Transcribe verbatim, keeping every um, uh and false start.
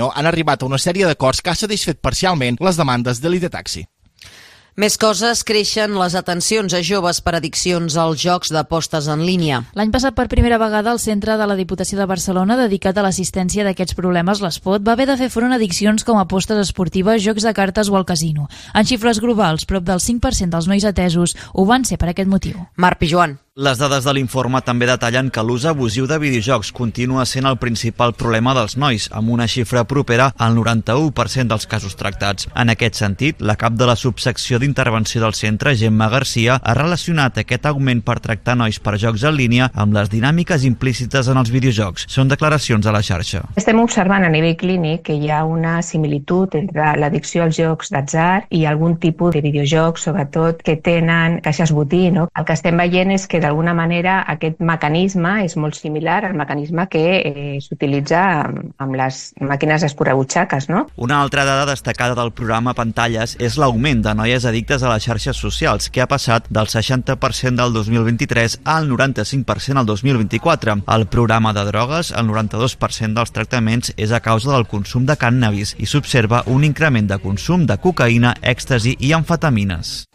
han arribat a una sèrie d'acords que ha satisfet parcialment les demandes de l'Idetaxi. Més coses, creixen les atencions a joves per addiccions als jocs d'apostes en línia. L'any passat, per primera vegada, el Centre de la Diputació de Barcelona, dedicat a l'assistència d'aquests problemes, l'Espot, va haver de fer front a addiccions com apostes esportives, jocs de cartes o al casino. En xifres globals, prop del cinc per cent dels nois atesos ho van ser per aquest motiu. Marc Pijuan. Les dades de l'informe també detallen que l'ús abusiu de videojocs continua sent el principal problema dels nois, amb una xifra propera al noranta-u per cent dels casos tractats. En aquest sentit, la cap de la subsecció d'intervenció del centre, Gemma Garcia, ha relacionat aquest augment per tractar nois per jocs en línia amb les dinàmiques implícites en els videojocs. Són declaracions a la xarxa. Estem observant a nivell clínic que hi ha una similitud entre l'addicció als jocs d'atzar i algun tipus de videojocs, sobretot que tenen caixes botí, no? El que estem veient és que d'alguna manera aquest mecanisme és molt similar al mecanisme que eh, s'utilitza amb, amb les màquines escurabutxaques, no? Una altra dada destacada del programa Pantalles és l'augment de noies addictes a les xarxes socials, que ha passat del seixanta per cent del dos mil vint-i-tres al noranta-cinc per cent al dos mil vint-i-quatre. Al programa de drogues, el noranta-dos per cent dels tractaments és a causa del consum de cànnabis i s'observa un increment de consum de cocaïna, èxtasi i amfetamines.